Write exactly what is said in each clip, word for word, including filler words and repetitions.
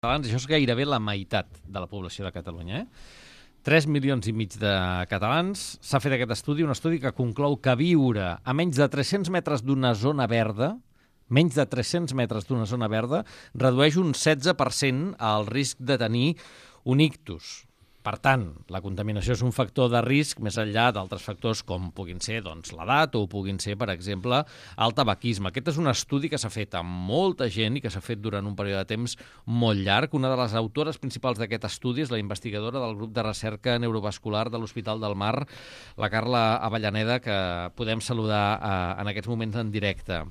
Catalans, això és gairebé la meitat de la població de Catalunya. Eh? tres milions i mig de catalans. S'ha fet aquest estudi, un estudi que conclou que viure a menys de tres-cents metres d'una zona verda, menys de tres-cents metres d'una zona verda, redueix un setze per cent el risc de tenir un ictus. Per tant, la contaminació és un factor de risc més enllà d'altres factors com puguin ser doncs, l'edat o puguin ser, per exemple, el tabaquisme. Aquest és un estudi que s'ha fet amb molta gent i que s'ha fet durant un període de temps molt llarg. Una de les autores principals d'aquest estudi és la investigadora del grup de recerca neurovascular de l'Hospital del Mar, la Carla Avellaneda, que podem saludar eh, en aquests moments en directe.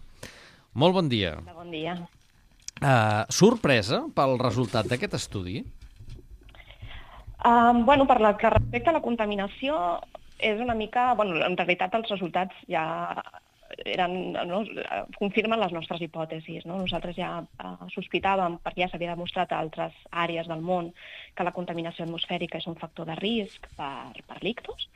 Molt bon dia. Bon dia. Uh, sorpresa pel resultat d'aquest estudi? Um, bueno, per la que respecte a la contaminació, és una mica... Bueno, en realitat els resultats ja eren, no, confirmen les nostres hipòtesis. No? Nosaltres ja uh, sospitàvem, perquè ja s'havia demostrat a altres àrees del món, que la contaminació atmosfèrica és un factor de risc per, per l'ictus,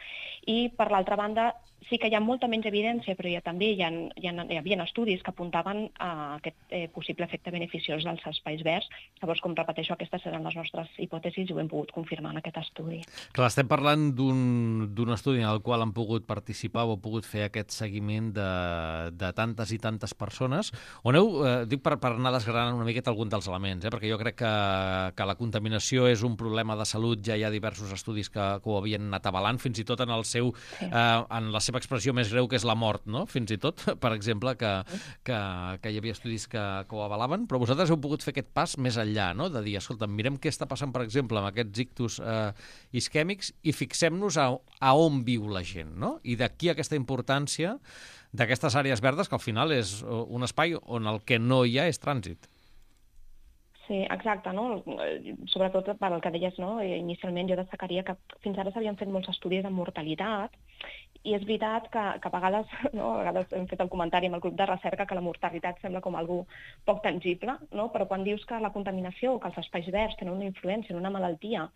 i per l'altra banda sí que hi ha molta menys evidència, però ja també hi, ha, hi, ha, hi havia estudis que apuntaven a aquest eh, possible efecte beneficiós dels espais verds. Llavors, com repeteixo, aquestes eren les nostres hipòtesis i ho hem pogut confirmar en aquest estudi. Clar, estem parlant d'un estudi en el qual han pogut participar o pogut fer aquest seguiment de, de tantes i tantes persones. On heu, eh, dic per, per anar desgranant una miqueta algun dels elements, eh, perquè jo crec que, que la contaminació és un problema de salut, ja hi ha diversos estudis que, que ho havien anat avalant, fins i tot en el seu, sí. eh, en la seva expressió més greu, que és la mort, no? Fins i tot, per exemple, que, que, que hi havia estudis que, que ho avalaven, però vosaltres heu pogut fer aquest pas més enllà, no? De dir, escolta, mirem què està passant, per exemple, amb aquests ictus eh, isquèmics i fixem-nos a, a on viu la gent, no? I d'aquí aquesta importància d'aquestes àrees verdes, que al final és un espai on el que no hi ha és trànsit. Sí, exacte, no? Sobretot per el que deies, no? Inicialment jo destacaria que fins ara s'havien fet molts estudis de mortalitat i és veritat que, que a vegades, no? A vegades hem fet el comentari amb el grup de recerca que la mortalitat sembla com algú poc tangible, no? Però quan dius que la contaminació o que els espais verds tenen una influència en una malaltia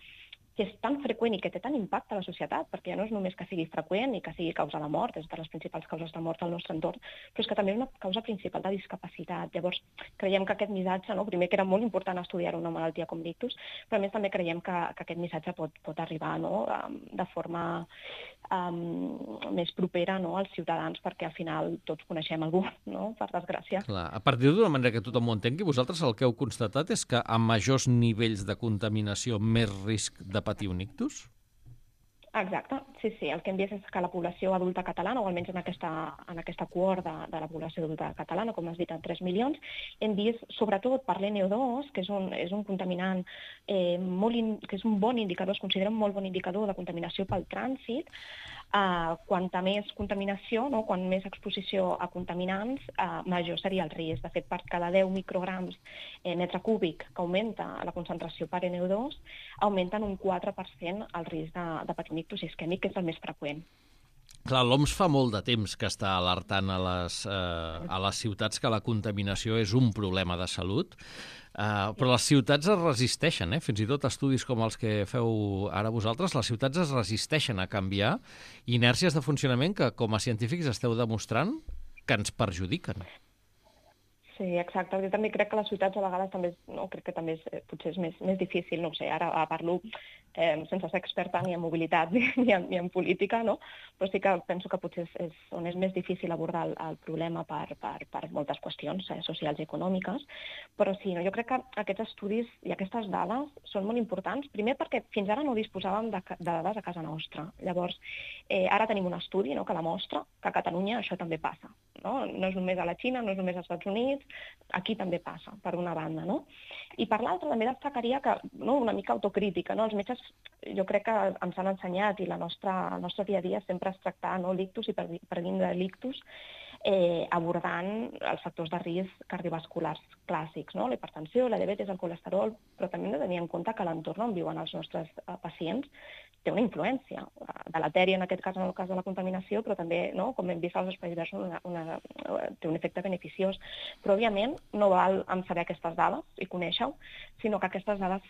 que és tan freqüent i que té tant impacte a la societat, perquè ja no és només que sigui freqüent i que sigui causa de mort, és de les principals causes de mort al nostre entorn, però és que també és una causa principal de discapacitat. Llavors, creiem que aquest missatge, no? Primer que era molt important estudiar una malaltia com l'ictus, però a més també creiem que, que aquest missatge pot, pot arribar, no? De forma um, més propera, no? Als ciutadans, perquè al final tots coneixem algú, no? Per desgràcia. Clar. A partir d'una manera que tothom ho entengui, vosaltres el que heu constatat és que a majors nivells de contaminació, més risc de patir un ictus? Exacte, sí, sí. El que hem vist és que la població adulta catalana, o almenys en aquesta, en aquesta cohort de, de la població adulta catalana, com has dit, en tres milions, hem vist, sobretot per l'N O dos, que és un, és un contaminant eh, molt in, que és un bon indicador, es considera un molt bon indicador de contaminació pel trànsit. Uh, quanta més contaminació, no? Quan més exposició a contaminants, uh, major seria el risc. De fet, per cada deu micrograms eh, metre cúbic que augmenta la concentració per N O dos, augmenten un quatre per cent el risc de, de patir un ictus isquèmic, que és el més freqüent. Clar, l'O M S fa molt de temps que està alertant a les, eh, a les ciutats que la contaminació és un problema de salut, eh, però les ciutats es resisteixen, eh? Fins i tot estudis com els que feu ara vosaltres, les ciutats es resisteixen a canviar inèrcies de funcionament que com a científics esteu demostrant que ens perjudiquen. Sí, exacte. Jo també crec que les ciutats a vegades també, no, crec que també és, potser és més, més difícil, no ho sé, ara parlo eh, sense ser experta ni en mobilitat ni, ni, en, ni en política, no? Però sí que penso que potser és, és on és més difícil abordar el, el problema per, per, per moltes qüestions eh, socials i econòmiques, però sí, no, jo crec que aquests estudis i aquestes dades són molt importants, primer perquè fins ara no disposàvem de, de dades a casa nostra. Llavors, eh, ara tenim un estudi, no, que demostra que a Catalunya això també passa. No? No és només a la Xina, no és només als Estats Units, aquí també passa, per una banda, no? I per l'altra també destacaria que, no, una mica autocrítica, no? Els metges jo crec que ens han ensenyat i la nostra, el nostre dia a dia sempre és tractar, no, l'ictus i per, per dins de l'ictus eh, abordant els factors de risc cardiovasculars clàssics, no? La hipertensió, la diabetis, el colesterol, però també hem de tenir en compte que l'entorn on viuen els nostres eh, pacients té una influència deletèria, en aquest cas, en el cas de la contaminació, però també, no, com hem vist als espais verds, una, una, té un efecte beneficiós. Però, òbviament, no val en saber aquestes dades i conèixer-ho, sinó que aquestes dades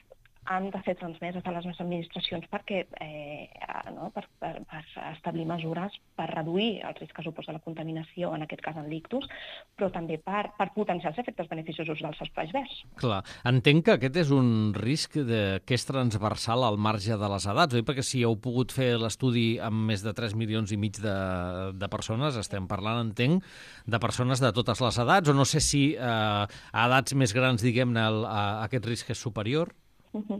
han de ser transmeses a les administracions perquè, eh, no, per, per, per establir mesures per reduir els riscs que suposa la contaminació, en aquest cas en l'ictus, però també per, per potenciar els efectes beneficiosos dels espais verds. Clar, entenc que aquest és un risc de, que és transversal al marge de les edats, oi? Perquè si heu pogut fer l'estudi amb més de tres milions i mig de, de persones, estem parlant, entenc, de persones de totes les edats, o no sé si eh, a edats més grans, diguem-ne, el, a, aquest risc és superior? Uh-huh.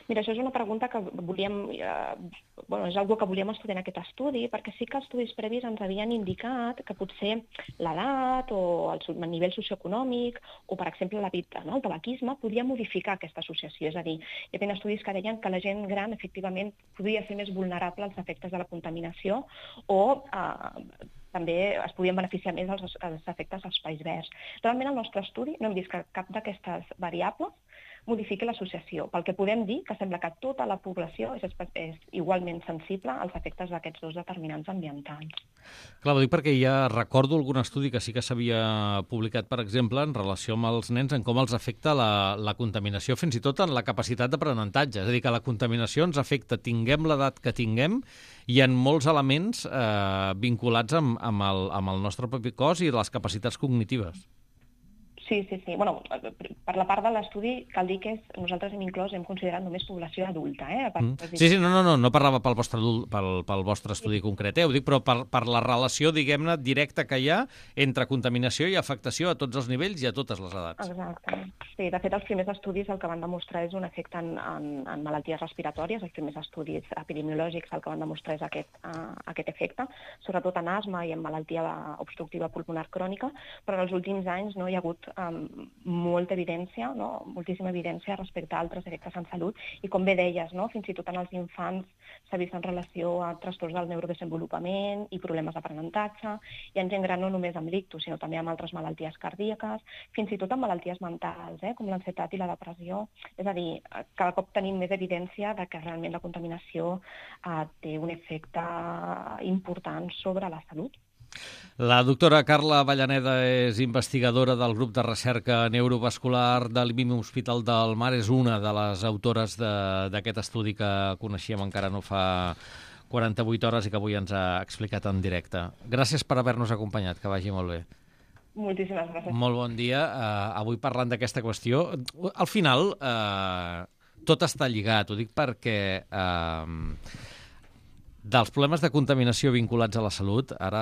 Mira, això és una pregunta que volíem, eh, bueno, és una que volíem estudiar en aquest estudi, perquè sí que estudis previs ens havien indicat que potser l'edat o el nivell socioeconòmic o, per exemple, l'hàbit, no, el tabaquisme, podia modificar aquesta associació. És a dir, hi havia estudis que deien que la gent gran, efectivament, podia ser més vulnerable als efectes de la contaminació o eh, també es podien beneficiar més dels, dels efectes dels espais verds. Realment, al nostre estudi no hem vist que cap d'aquestes variables modifiqui l'associació. Pel que podem dir que sembla que tota la població és, és igualment sensible als efectes d'aquests dos determinants ambientals. Clar, ho dic perquè ja recordo algun estudi que sí que s'havia publicat, per exemple, en relació amb els nens, en com els afecta la, la contaminació, fins i tot en la capacitat d'aprenentatge. És a dir, que la contaminació ens afecta, tinguem l'edat que tinguem, i en molts elements eh, vinculats amb, amb, el, amb el nostre propi cos i les capacitats cognitives. Sí, sí, sí. Bueno, per la part de l'estudi cal dir que és, nosaltres hem inclòs, hem considerat només població adulta. Eh? Per... Mm. Sí, sí, no, no, no, no parlava pel vostre, adult, pel, pel vostre estudi sí. concret, eh? Ho dic, però per, per la relació, diguem-ne, directa que hi ha entre contaminació i afectació a tots els nivells i a totes les edats. Exacte. Sí, de fet, els primers estudis el que van demostrar és un efecte en, en, en malalties respiratòries, els primers estudis epidemiològics el que van demostrar és aquest, uh, aquest efecte, sobretot en asma i en malaltia obstructiva pulmonar crònica, però en els últims anys no hi ha hagut amb molta evidència, no? moltíssima evidència respecte a altres efectes en salut i com bé deies, no? fins i tot en els infants s'ha vist en relació a trastorns del neurodesenvolupament i problemes d'aprenentatge i en gent gran no només amb l'ictus, sinó també amb altres malalties cardíaques, fins i tot amb malalties mentals, eh? com l'ansietat i la depressió. És a dir, cada cop tenim més evidència de que realment la contaminació eh, té un efecte important sobre la salut. La doctora Carla Avellaneda és investigadora del grup de recerca neurovascular de l'I M I M Hospital del Mar, és una de les autores d'aquest estudi que coneixíem encara no fa quaranta-vuit hores i que avui ens ha explicat en directe. Gràcies per haver-nos acompanyat, que vagi molt bé. Moltíssimes gràcies. Molt bon dia. Uh, avui parlant d'aquesta qüestió, al final uh, tot està lligat, ho dic perquè... Uh, dels problemes de contaminació vinculats a la salut, ara